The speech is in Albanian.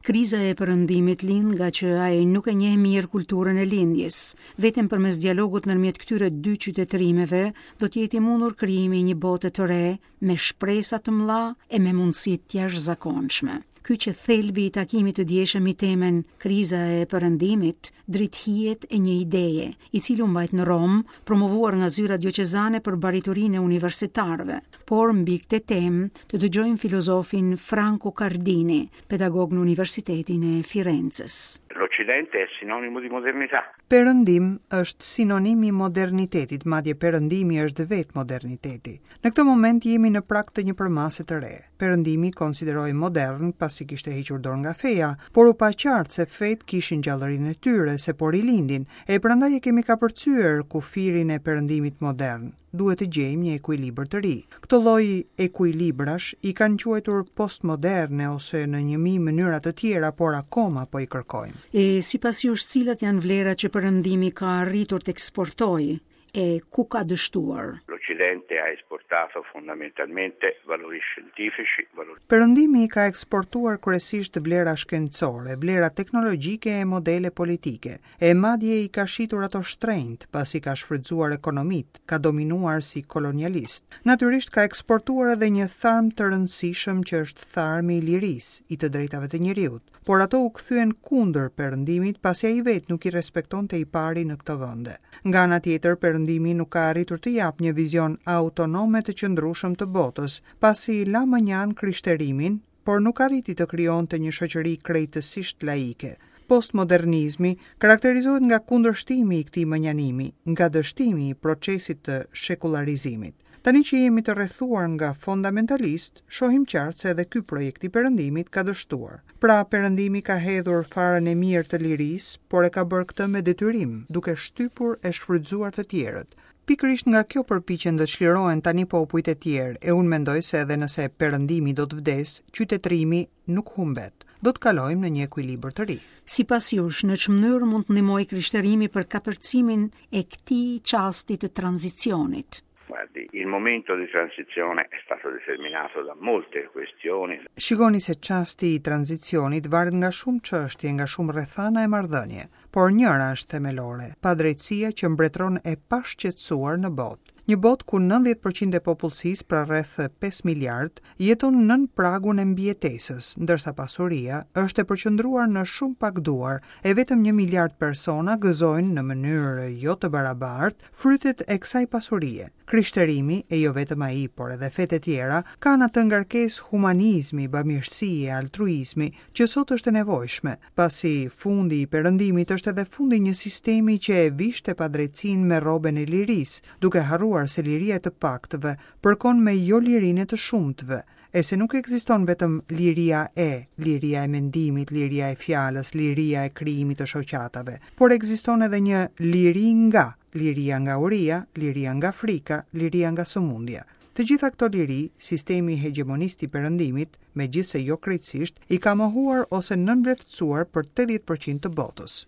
Kriza e Perëndimit lind ngaqë ai nuk e njeh mirë kulturën e Lindjes. Vetëm përmes dialogut ndërmjet këtyre dy qytetërimeve do të jetë i mundur krijimi i një bote të re me shpresa të mëdha e me mundësi të jashtëzakonshme. Ky qe thelbi i takimit të djeshëm me temën Kriza e Perëndimit, dritëhijet e një ideje, i cili u mbajt në Romë, promovuar nga zyra dioqezane për bariturinë e universitarëve. Por mbi këtë temë të dëgjojmë filozofin Franco Cardini, pedagog në Universitetin e Firences. L'Occidente è sinonimo di modernità. Perëndim është sinonim i modernitetit, madje perëndimi është vetë moderniteti. Në këtë moment jemi në prag të një përmase të re. Perëndimi konsiderohej modern pasi kishte hequr dorë nga feja, por u pa qartë se fetë kishin gjallërinë e tyre, se po rilindin, e prandaj e kemi kapërcyer kufirin e perëndimit modern. Duhet të gjejmë një ekuilibër të ri. Këto lloj ekuilibrash i kanë quajtur postmoderne ose në njëmijë mënyra të tjera, por akoma po i kërkojmë. E sipas jush cilat janë vlerat që Perëndimi ka arritur të eksportojë e ku ka dështuar? L'Occidente ha esportato fondamentalmente valori scientifici, valori. Perëndimi ka eksportuar kryesisht vlera shkencore, vlera teknologjike e modele politike, e madje i ka shitur ato shtrenjtë, pasi ka shfrytëzuar ekonomitë, ka dominuar si kolonialist. Natyrisht ka eksportuar edhe një tharm të rëndësishëm që është tharmi i lirisë, i të drejtave të njeriut. Por ato u kthyen kundër Perëndimit pasi ai vetë nuk i respektonte i pari në këto vende. Nga ana tjetër, Perëndimi nuk ka arritur të japë një vizion autonom e të qëndrueshëm të botës, pasi la mënjanë krishterimin, por nuk arriti të krijonte një shoqëri krejtësisht laike. Postmodernizmi karakterizohet nga kundërshtimi i këtij mënjanimi, nga dështimi i procesit të shekullarizimit. Tani që jemi të rrethuar nga fondamentalistë, shohim qartë se edhe ky projekt i Perëndimit ka dështuar. Pra, Perëndimi ka hedhur farën e mirë të lirisë, por e ka bërë këtë me detyrim, duke shtypur e shfrytëzuar të tjerët. Pikërisht nga kjo përpiqen të çlirohen tani popujt e tjerë, e unë mendoj se edhe nëse Perëndimi do të vdesë, qytetërimi nuk humbet. Do të kalojmë në një ekuilibër të ri. Sipas jush, në ç'mënyrë mund të ndihmojë krishterimi për kapërcimin e këtij çasti të tranzicionit? Guardi, il momento di transizione è stato determinato da molte questioni. Shikoni se çasti i tranzicionit varet nga shumë çështje, nga shumë rrethana e marrëdhënie. Por njëra është themelore, padrejtësia që mbretëron e pashqetësuar në botë. Një botë ku 90 për qind e popullsisë, pra rreth 5 miliardë, jeton nën pragun e mbijetesës, ndërsa pasuria është e përqendruar në shumë pak duar, e vetëm një miliard persona gëzojnë në mënyrë jo të barabartë frytet e kësaj pasurie. Krishterimi, e jo vetëm ai, por edhe fetë e tjera, kanë atë ngarkesë humanizmi, bamirësie, altruizmi, që sot është e nevojshme, pasi fundi i Perëndimit është edhe fundi i një sistemi që e vishte padrejtësinë me rroben e lirisë, duke harruar se liria e të paktëve përkon me jolirinë e të shumtëve, e se nuk ekziston vetëm liria e, liria e mendimit, liria e fjalës, liria e krijimit të shoqatave, por ekziston edhe një liri nga, liria nga uria, liria nga frika, liria nga sëmundja. Të gjitha këto liri, sistemi hegjemonist i Perëndimit, megjithëse jo krejtësisht, i ka mohuar ose nënvleftësuar për 80% të botës.